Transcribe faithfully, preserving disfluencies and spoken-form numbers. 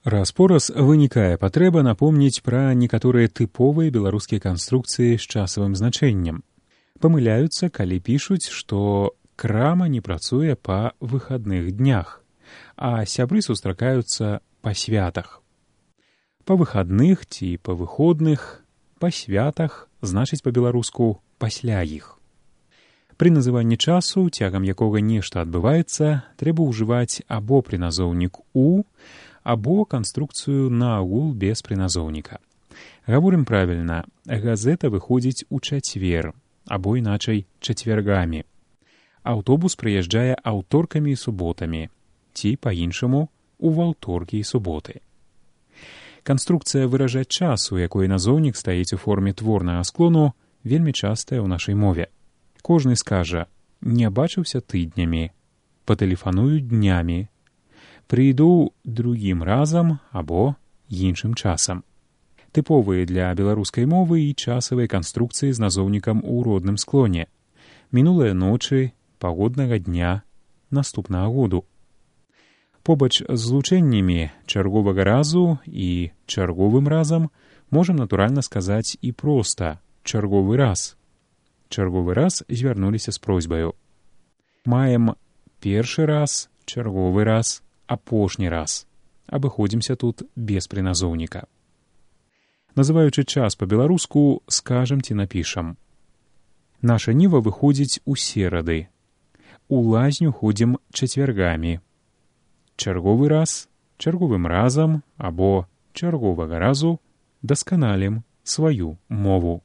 Раз-пораз вынікае патрэба напомніць пра некаторыя тыповыя беларускія канструкцыі з часавым значэннем. Памыляюцца, калі пішуць, што крама не працуе па выхадных днях, а сябры сустракаюцца па святах. Па выхадных ці па выходных, па святах значыць па-беларуску пасля іх. Пры называнні часу, цягам якога нешта адбываецца, трэба ўжываць або прыназоўнік «у», або канструкцыю наогул без прыназоўніка. Гаворым правільна, газета выходзіць у чацвер, або іначай чацвяргамі. Аўтобус прыязджае аўторкамі і суботамі, ці, па-іншаму, у ваўторкі і суботы. Канструкцыя выражаць час, у якой назоўнік стаіць у форме творнага склону, вельмі частая ў нашай мове. Кожны скажа «не бачыўся тыднямі», «патэлефаную днямі», «прыйду другім разам» або «іншым часам». Тыповыя для беларускай мовы і часавыя канструкцыі з назоўнікам у родным склоне. Мінулыя ночы, пагоднага дня, наступнага году. Побач з злучэннямі чарговага разу і чарговым разам можам натуральна сказаць і проста «чарговы раз». Чарговы раз звярнуліся з просьбаю. Маем першы раз, чарговы раз, апошні раз. Абыходзімся тут без прыназоўніка. Называючы час па-беларуску, скажам ці напішам. Наша ніва выходзіць у серады. У лазню ходзім чацвяргамі. Чарговы раз, чарговым разам або чарговага разу дасканалім сваю мову.